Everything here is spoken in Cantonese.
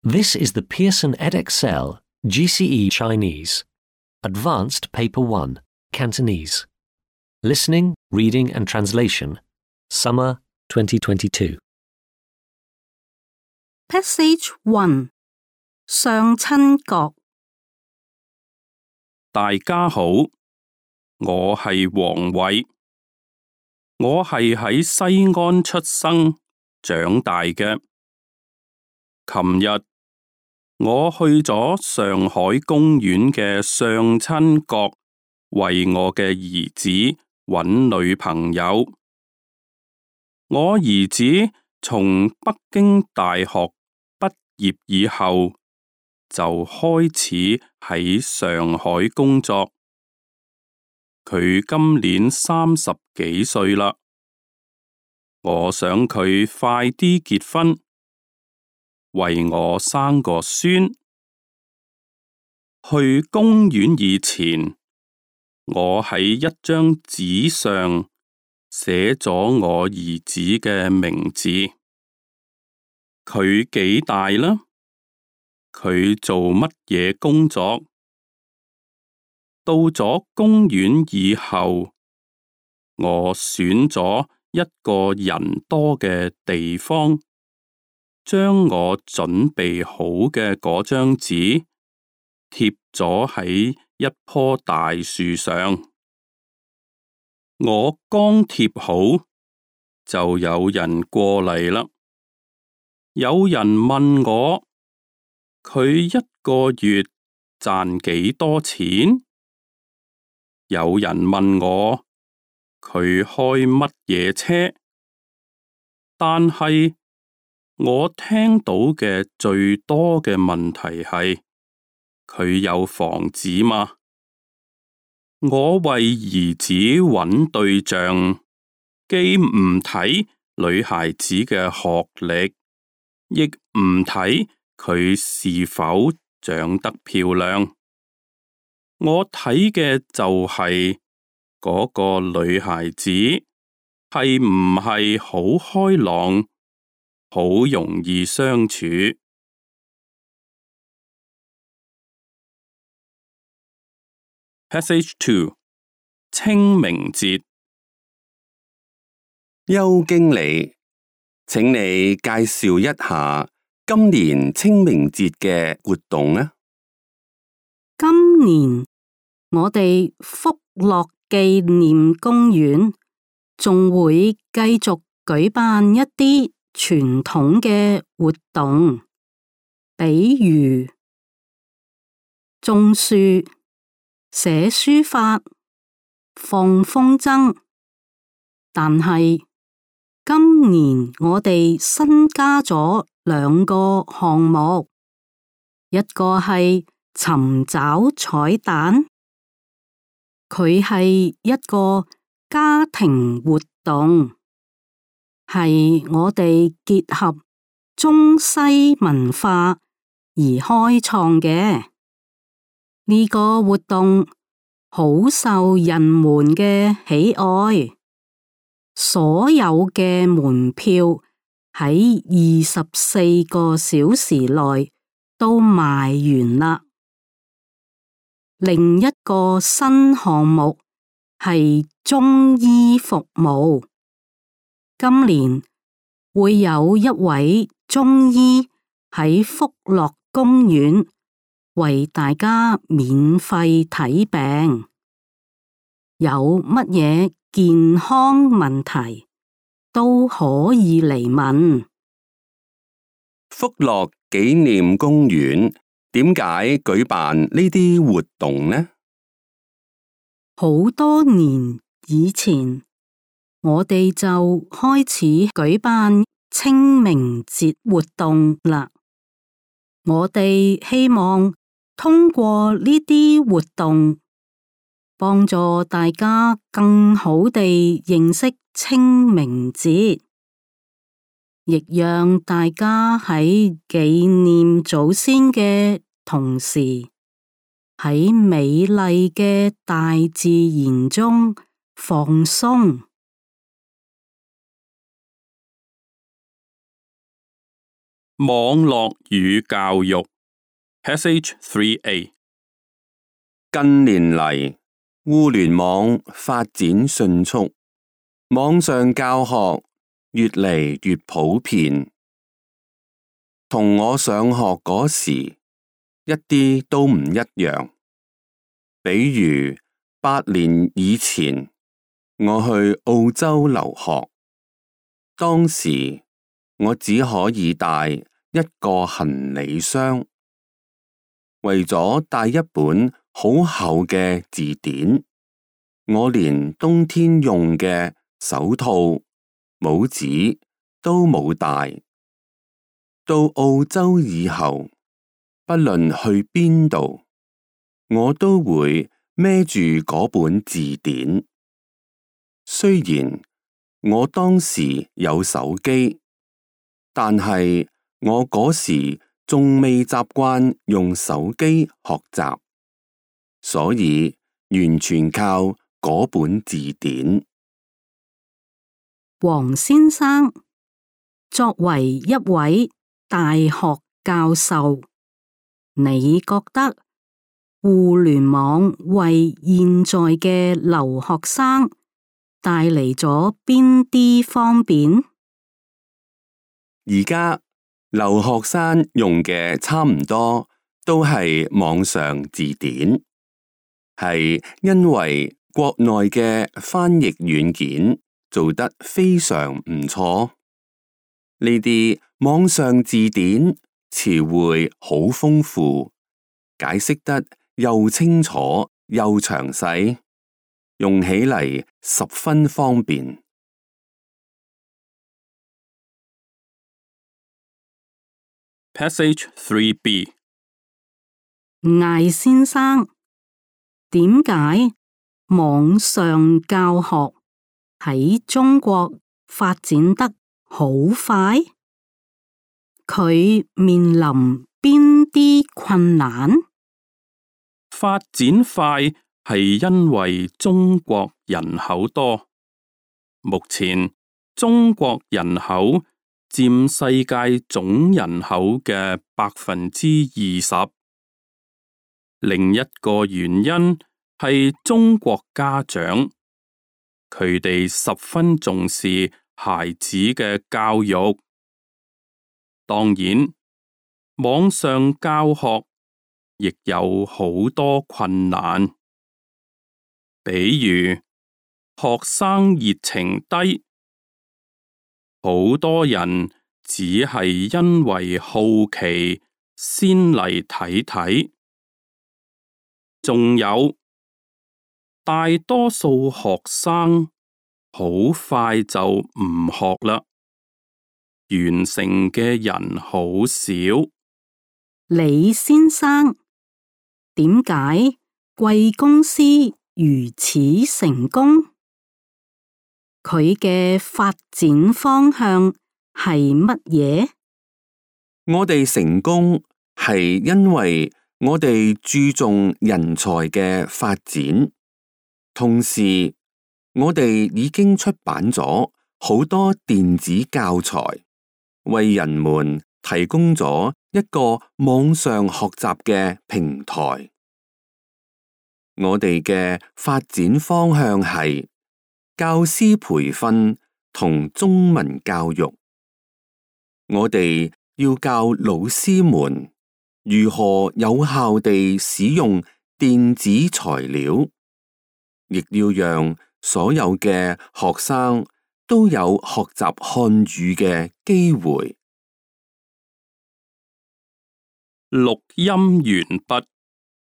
This is the Pearson Edexcel GCE Chinese, Advanced Paper 1, Cantonese. Listening, Reading and Translation, Summer 2022. Passage 1. 上親國。大家好，我係黃偉，我係喺西安出生長大嘅。琴日我去咗上海公園嘅上親國，為我嘅兒子揾女朋友。我兒子從北京大學畢業以後，就開始喺上海工作。佢今年30幾歲啦，我想佢快啲結婚，為我生個孫。去公園以前，我喺一張紙上寫咗我兒子嘅名字。佢幾大啦？佢做乜嘢工作？到咗公園以後，我選咗一個人多嘅地方，將我準備好嘅嗰張紙貼咗喺一棵大樹上。我剛貼好，就有人過嚟啦。有人問我，佢一個月賺幾多錢？有人問我，佢開乜嘢車？但係我聽到嘅最多嘅問題係，佢有房子嗎？我為兒子揾對象，既唔睇女孩子嘅學歷，亦唔睇佢是否長得漂亮，我睇嘅就係嗰個女孩子係唔係好開朗，好容易相處。Passage 2. 清明節。邱經理，請你介紹一下今年清明節嘅活動啊。今年我哋福樂紀念公園仲會繼續舉辦一啲傳統嘅活動，比如種樹、寫書法、放風箏。但係今年我哋新加咗2個項目，一個係尋找彩蛋，佢係一個家庭活動，係我哋結合中西文化而開創嘅。呢個活動好受人們嘅喜愛，所有嘅門票喺24個小時內都賣完啦。另一個新項目係中醫服務，今年會有一位中醫喺福樂公園為大家免費睇病，有乜嘢健康問題都可以嚟問。福樂紀念公園點解舉辦呢啲活動呢？好多年以前，我哋就開始舉辦清明節活動啦。我哋希望通過呢啲活動，幫助大家更好地認識清明節，亦讓大家喺紀念祖先嘅同時，喺美麗嘅大自然中放鬆。網絡與教育 Passage 3A。 近年嚟，互聯網發展迅速，網上教學越嚟越普遍，同我上學嗰時一啲都唔一樣。比如8年以前，我去澳洲留學，當時我只可以帶一個行李箱，為咗帶一本好厚嘅字典，我連冬天用嘅手套、帽子都冇帶。到澳洲以後，不論去邊度，我都會孭住嗰本字典。雖然我當時有手機，但係我嗰時仲未習慣用手機學習，所以完全靠嗰本字典。黃先生，作為一位大學教授，你覺得互聯網為現在嘅留學生帶嚟咗邊啲方便？而家留學生用嘅差唔多都係網上字典，係因為國內嘅翻譯軟件做得非常唔錯。呢啲網上字典詞彙好豐富，解釋得又清楚又詳細，用起嚟十分方便。Passage 3B。 艾先生，點解網上教學喺中國發展得好快？佢面臨邊啲困難？發展快係因為中國人口多，目前中國人口佔世界總人口嘅20%。另一個原因係中國家長，佢哋十分重視孩子嘅教育。當然，網上教學亦有好多困難，比如學生熱情低，好多人只係因為好奇先嚟睇睇。仲有大多數學生好快就唔學啦，完成嘅人好少。李先生，點解貴公司如此成功？佢嘅發展方向係乜嘢？我哋成功係因為我哋注重人才嘅發展，同時我哋已經出版咗好多電子教材，為人們提供咗一個網上學習嘅平台。我哋嘅發展方向係教師培訓同中文教育。我哋要教老師們如何有效地使用電子材料，亦要讓所有嘅學生都有學習漢語嘅機會。錄音完畢。